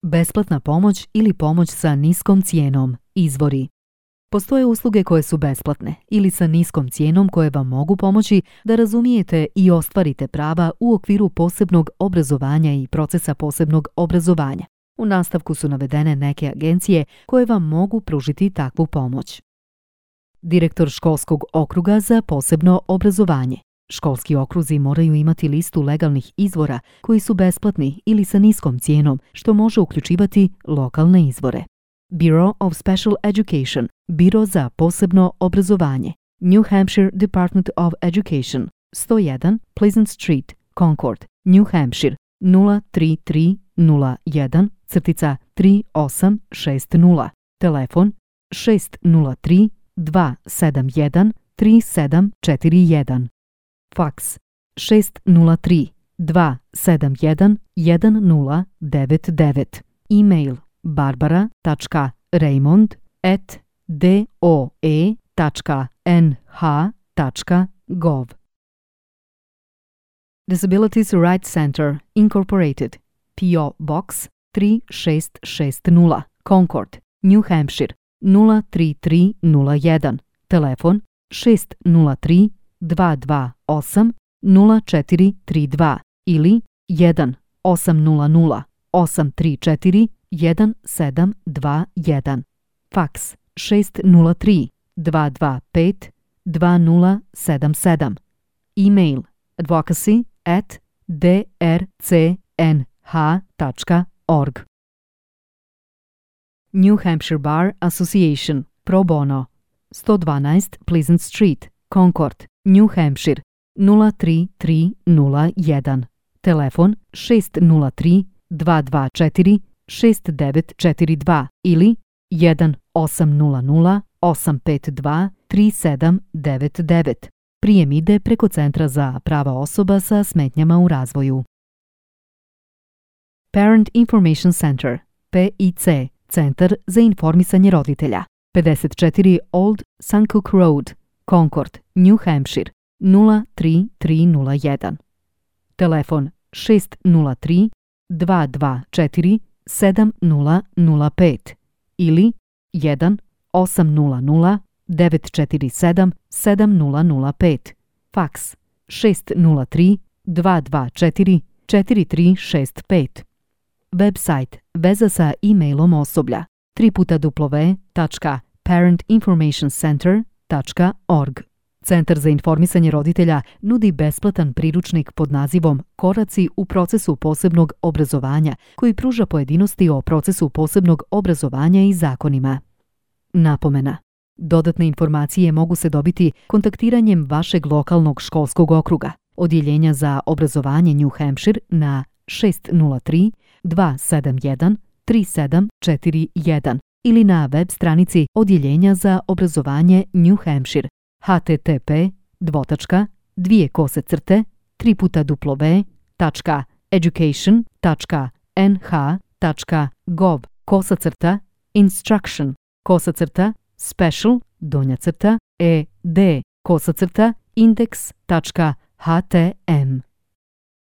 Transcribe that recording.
Besplatna pomoć ili pomoć sa niskom cijenom. Izvori. Postoje usluge koje su besplatne ili sa niskom cijenom koje vam mogu pomoći da razumijete i ostvarite prava u okviru posebnog obrazovanja i procesa posebnog obrazovanja. U nastavku su navedene neke agencije koje vam mogu pružiti takvu pomoć. Direktor školskog okruga za posebno obrazovanje. Školski okruzi moraju imati listu legalnih izvora koji su besplatni ili sa niskom cijenom, što može uključivati lokalne izvore. Bureau of Special Education, Biro za posebno obrazovanje. New Hampshire Department of Education, 101 Pleasant Street, Concord, New Hampshire, 03301-3860. Telefon 603-271-3741. Faks 603-271-1099. E-mail barbara.raymond@doe.nh.gov. Disabilities Rights Center, Incorporated, P.O. Box 3660, Concord, New Hampshire, 03301. Telefon 603-228-0432 ili 1-800-834-1721. Faks 603-225-2077. E-mail advocacy@drcnh.org. New Hampshire Bar Association, Pro Bono, 112 Pleasant Street, Concord, New Hampshire, 03301. Telefon 603-224-6942 ili 1-800-852-3799. Prijem ide preko Centra za prava osoba sa smetnjama u razvoju. Parent Information Center, PIC, Centar za informisanje roditelja, 54 Old Suncook Road, Concord, New Hampshire, 03301. Telefon 603-224-7005 ili 1-800-947-7005. Faks 603-224-4365. Website veza sa e-mailom osoblja www.parentinformationcenter.org. Centar za informisanje roditelja nudi besplatan priručnik pod nazivom Koraci u procesu posebnog obrazovanja koji pruža pojedinosti o procesu posebnog obrazovanja i zakonima. Napomena. Dodatne informacije mogu se dobiti kontaktiranjem vašeg lokalnog školskog okruga, Odjeljenja za obrazovanje New Hampshire na 603-271-3741 ili na web stranici Odjeljenja za obrazovanje New Hampshire http://www.education.nh.gov/instruction-special-ed-index.htm